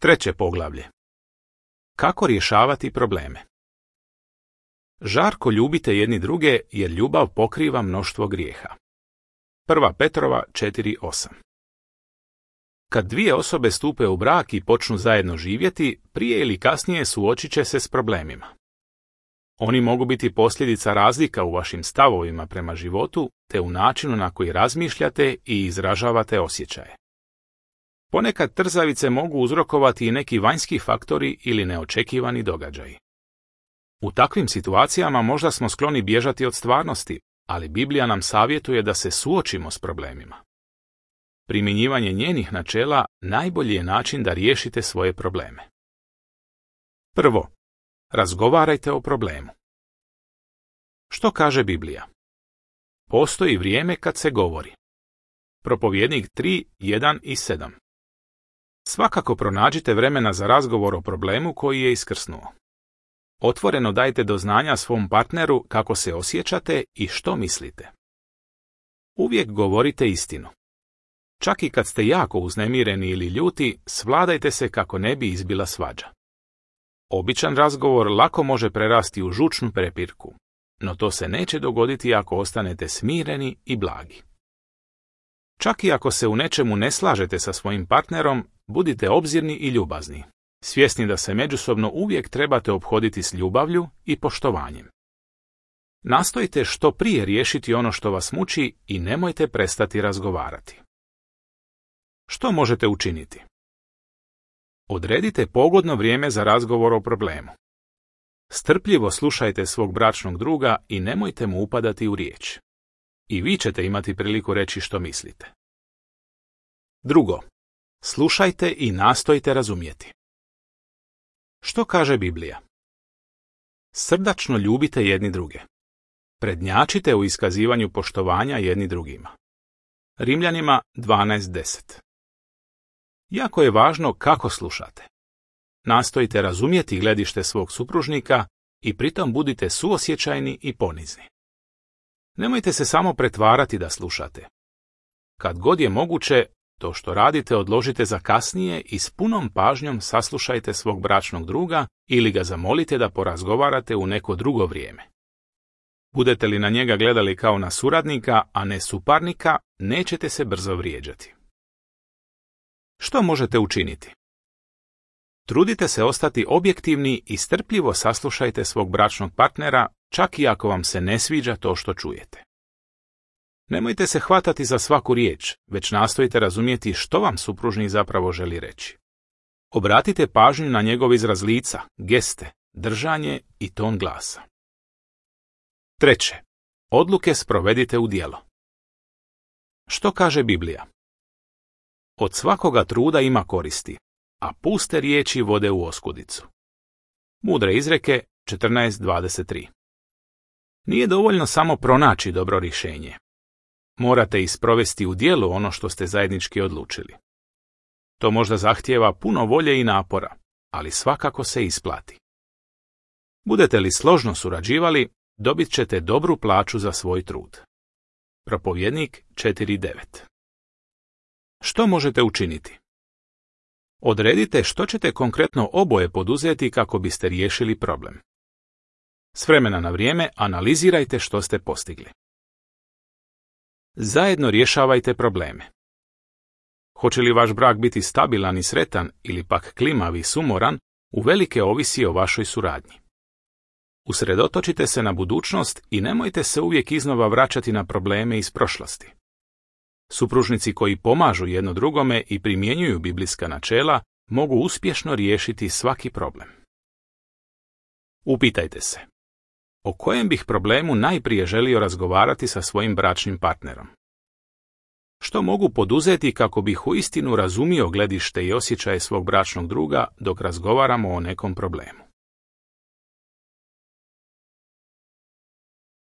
Treće poglavlje. Kako rješavati probleme? Žarko ljubite jedni druge, jer ljubav pokriva mnoštvo grijeha. 1. Petrova 4:8. Kad dvije osobe stupe u brak i počnu zajedno živjeti, prije ili kasnije suočit će se s problemima. Oni mogu biti posljedica razlika u vašim stavovima prema životu, te u načinu na koji razmišljate i izražavate osjećaje. Ponekad trzavice mogu uzrokovati i neki vanjski faktori ili neočekivani događaji. U takvim situacijama možda smo skloni bježati od stvarnosti, ali Biblija nam savjetuje da se suočimo s problemima. Primjenjivanje njenih načela najbolji je način da riješite svoje probleme. Prvo, razgovarajte o problemu. Što kaže Biblija? Postoji vrijeme kad se govori. Propovjednik 3:1 i 7. Svakako pronađite vremena za razgovor o problemu koji je iskrsnuo. Otvoreno dajte do znanja svom partneru kako se osjećate i što mislite. Uvijek govorite istinu. Čak i kad ste jako uznemireni ili ljuti, svladajte se kako ne bi izbila svađa. Običan razgovor lako može prerasti u žučnu prepirku, no to se neće dogoditi ako ostanete smireni i blagi. Čak i ako se u nečemu ne slažete sa svojim partnerom, budite obzirni i ljubazni, svjesni da se međusobno uvijek trebate ophoditi s ljubavlju i poštovanjem. Nastojite što prije riješiti ono što vas muči i nemojte prestati razgovarati. Što možete učiniti? Odredite pogodno vrijeme za razgovor o problemu. Strpljivo slušajte svog bračnog druga i nemojte mu upadati u riječ. I vi ćete imati priliku reći što mislite. Drugo, slušajte i nastojte razumjeti. Što kaže Biblija? Srdačno ljubite jedni druge. Prednjačite u iskazivanju poštovanja jedni drugima. Rimljanima 12:10. Jako je važno kako slušate. Nastojite razumjeti gledište svog supružnika i pritom budite suosjećajni i ponizni. Nemojte se samo pretvarati da slušate. Kad god je moguće, to što radite odložite za kasnije i s punom pažnjom saslušajte svog bračnog druga ili ga zamolite da porazgovarate u neko drugo vrijeme. Budete li na njega gledali kao na suradnika, a ne suparnika, nećete se brzo vrijeđati. Što možete učiniti? Trudite se ostati objektivni i strpljivo saslušajte svog bračnog partnera, čak i ako vam se ne sviđa to što čujete. Nemojte se hvatati za svaku riječ, već nastojite razumjeti što vam supružnik zapravo želi reći. Obratite pažnju na njegov izraz lica, geste, držanje i ton glasa. Treće, odluke sprovedite u djelo. Što kaže Biblija? Od svakoga truda ima koristi, a puste riječi vode u oskudicu. Mudre izreke 14:23. Nije dovoljno samo pronaći dobro rješenje. Morate isprovesti u djelu ono što ste zajednički odlučili. To možda zahtijeva puno volje i napora, ali svakako se isplati. Budete li složno surađivali, dobit ćete dobru plaću za svoj trud. Propovjednik 4:9. Što možete učiniti? Odredite što ćete konkretno oboje poduzeti kako biste riješili problem. S vremena na vrijeme analizirajte što ste postigli. Zajedno rješavajte probleme. Hoće li vaš brak biti stabilan i sretan ili pak klimav i sumoran, uvelike ovisi o vašoj suradnji. Usredotočite se na budućnost i nemojte se uvijek iznova vraćati na probleme iz prošlosti. Supružnici koji pomažu jedno drugome i primjenjuju biblijska načela mogu uspješno riješiti svaki problem. Upitajte se, o kojem bih problemu najprije želio razgovarati sa svojim bračnim partnerom? Što mogu poduzeti kako bih uistinu razumio gledište i osjećaje svog bračnog druga dok razgovaramo o nekom problemu?